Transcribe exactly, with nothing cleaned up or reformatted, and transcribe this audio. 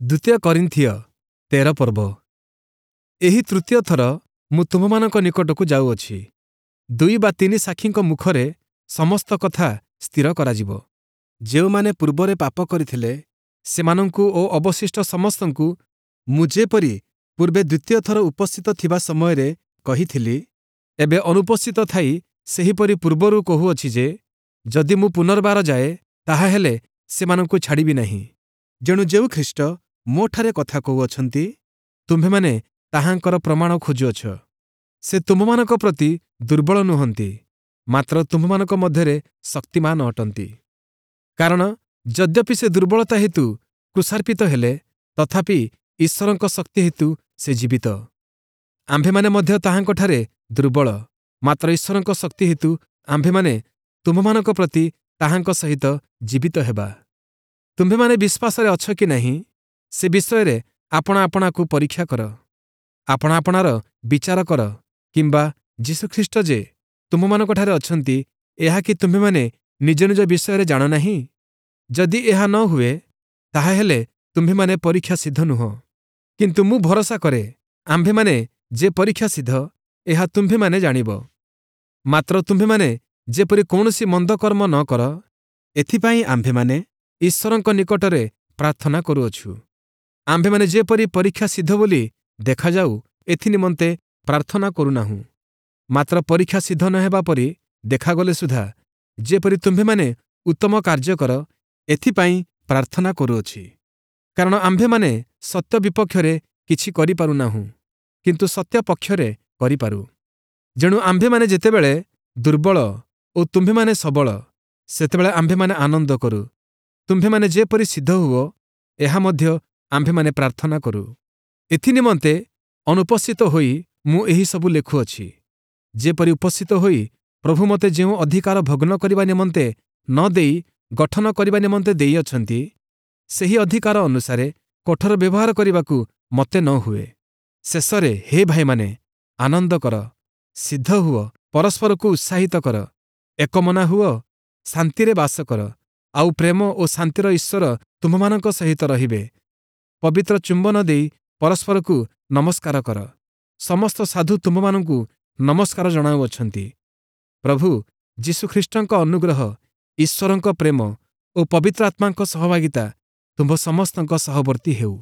ଦ୍ୱିତୀୟ କରିନ୍ଥୀୟ ତେର ପର୍ବ। ଏହି ତୃତୀୟ ଥର ମୁଁ ତୁମ୍ଭମାନଙ୍କ ନିକଟକୁ ଯାଉଅଛି। ଦୁଇ ବା ତିନି ସାକ୍ଷୀଙ୍କ ମୁଖରେ ସମସ୍ତ କଥା ସ୍ଥିର କରାଯିବ। ଯେଉଁମାନେ ପୂର୍ବରେ ପାପ କରିଥିଲେ, ସେମାନଙ୍କୁ ଓ ଅବଶିଷ୍ଟ ସମସ୍ତଙ୍କୁ ମୁଁ ଯେପରି ପୂର୍ବେ ଦ୍ୱିତୀୟ ଥର ଉପସ୍ଥିତ ଥିବା ସମୟରେ କହିଥିଲି, ଏବେ ଅନୁପସ୍ଥିତ ଥାଇ ସେହିପରି ପୂର୍ବରୁ କହୁଅଛି ଯେ, ଯଦି ମୁଁ ପୁନର୍ବାର ଯାଏ, ତାହାହେଲେ ସେମାନଙ୍କୁ ଛାଡ଼ିବି ନାହିଁ। ଯେଣୁ ଯେଉଁ ଖ୍ରୀଷ୍ଟ ମୋଠାରେ କଥା କହୁଅଛନ୍ତି, ତୁମ୍ଭେମାନେ ତାହାଙ୍କର ପ୍ରମାଣ ଖୋଜୁଅଛ। ସେ ତୁମ୍ଭମାନଙ୍କ ପ୍ରତି ଦୁର୍ବଳ ନୁହନ୍ତି, ମାତ୍ର ତୁମ୍ଭମାନଙ୍କ ମଧ୍ୟରେ ଶକ୍ତିମାନ ଅଟନ୍ତି। କାରଣ ଯଦ୍ୟପି ସେ ଦୁର୍ବଳତା ହେତୁ କ୍ରୁଶାର୍ପିତ ହେଲେ, ତଥାପି ଈଶ୍ୱରଙ୍କ ଶକ୍ତି ହେତୁ ସେ ଜୀବିତ। ଆମ୍ଭେମାନେ ମଧ୍ୟ ତାହାଙ୍କଠାରେ ଦୁର୍ବଳ, ମାତ୍ର ଈଶ୍ୱରଙ୍କ ଶକ୍ତି ହେତୁ ଆମ୍ଭେମାନେ ତୁମ୍ଭମାନଙ୍କ ପ୍ରତି ତାହାଙ୍କ ସହିତ ଜୀବିତ ହେବା। ତୁମ୍ଭେମାନେ ବିଶ୍ୱାସରେ ଅଛ କି ନାହିଁ, ସେ ବିଷୟରେ ଆପଣା ଆପଣାକୁ ପରୀକ୍ଷା କର। ଆପଣା ଆପଣାର ବିଚାର କର, କିମ୍ବା ଯୀଶୁଖ୍ରୀଷ୍ଟ ଯେ ତୁମ୍ଭମାନଙ୍କଠାରେ ଅଛନ୍ତି, ଏହା କି ତୁମ୍ଭେମାନେ ନିଜ ନିଜ ବିଷୟରେ ଜାଣ ନାହିଁ? ଯଦି ଏହା ନ ହୁଏ, ତାହାହେଲେ ତୁମ୍ଭେମାନେ ପରୀକ୍ଷା ସିଦ୍ଧ ନୁହଁ। କିନ୍ତୁ ମୁଁ ଭରସା କରେ, ଆମ୍ଭେମାନେ ଯେ ପରୀକ୍ଷା ସିଦ୍ଧ, ଏହା ତୁମ୍ଭେମାନେ ଜାଣିବ। ମାତ୍ର ତୁମ୍ଭେମାନେ ଯେପରି କୌଣସି ମନ୍ଦ କର୍ମ ନ କର, ଏଥିପାଇଁ ଆମ୍ଭେମାନେ ଈଶ୍ୱରଙ୍କ ନିକଟରେ ପ୍ରାର୍ଥନା କରୁଅଛୁ। ଆମ୍ଭେମାନେ ଯେପରି ପରୀକ୍ଷା ସିଦ୍ଧ ବୋଲି ଦେଖାଯାଉ, ଏଥିନିମନ୍ତେ ପ୍ରାର୍ଥନା କରୁନାହୁଁ। ମାତ୍ର ପରୀକ୍ଷା ସିଦ୍ଧ ନ ହେବା ପରି ଦେଖାଗଲେ ସୁଦ୍ଧା ଯେପରି ତୁମ୍ଭେମାନେ ଉତ୍ତମ କାର୍ଯ୍ୟ କର, ଏଥିପାଇଁ ପ୍ରାର୍ଥନା କରୁଅଛି। କାରଣ ଆମ୍ଭେମାନେ ସତ୍ୟ ବିପକ୍ଷରେ କିଛି କରିପାରୁନାହୁଁ, କିନ୍ତୁ ସତ୍ୟ ପକ୍ଷରେ କରିପାରୁ। ଯେଣୁ ଆମ୍ଭେମାନେ ଯେତେବେଳେ ଦୁର୍ବଳ ଓ ତୁମ୍ଭେମାନେ ସବଳ, ସେତେବେଳେ ଆମ୍ଭେମାନେ ଆନନ୍ଦ କରୁ। ତୁମ୍ଭେମାନେ ଯେପରି ସିଦ୍ଧ ହୁଅ, ଏହା ମଧ୍ୟ ଆମ୍ଭେମାନେ ପ୍ରାର୍ଥନା କରୁ। ଏଥିନିମନ୍ତେ ଅନୁପସ୍ଥିତ ହୋଇ ମୁଁ ଏହିସବୁ ଲେଖୁଅଛି, ଯେପରି ଉପସ୍ଥିତ ହୋଇ ପ୍ରଭୁ ମୋତେ ଯେଉଁ ଅଧିକାର ଭଗ୍ନ କରିବା ନିମନ୍ତେ ନ ଦେଇ ଗଠନ କରିବା ନିମନ୍ତେ ଦେଇଅଛନ୍ତି, ସେହି ଅଧିକାର ଅନୁସାରେ କଠୋର ବ୍ୟବହାର କରିବାକୁ ମୋତେ ନ ହୁଏ। ଶେଷରେ ହେ ଭାଇମାନେ, ଆନନ୍ଦ କର, ସିଦ୍ଧ ହୁଅ, ପରସ୍ପରକୁ ଉତ୍ସାହିତ କର, ଏକମନା ହୁଅ, ଶାନ୍ତିରେ ବାସ କର, ଆଉ ପ୍ରେମ ଓ ଶାନ୍ତିର ଈଶ୍ୱର ତୁମ୍ଭମାନଙ୍କ ସହିତ ରହିବେ। ପବିତ୍ର ଚୁମ୍ବନ ଦେଇ ପରସ୍ପରକୁ ନମସ୍କାର କର। ସମସ୍ତ ସାଧୁ ତୁମ୍ଭମାନଙ୍କୁ ନମସ୍କାର ଜଣାଉଅଛନ୍ତି। ପ୍ରଭୁ ଯୀଶୁଖ୍ରୀଷ୍ଟଙ୍କ ଅନୁଗ୍ରହ, ଈଶ୍ୱରଙ୍କ ପ୍ରେମ ଓ ପବିତ୍ର ଆତ୍ମାଙ୍କ ସହଭାଗିତା ତୁମ୍ଭ ସମସ୍ତଙ୍କ ସହବର୍ତ୍ତୀ ହେଉ।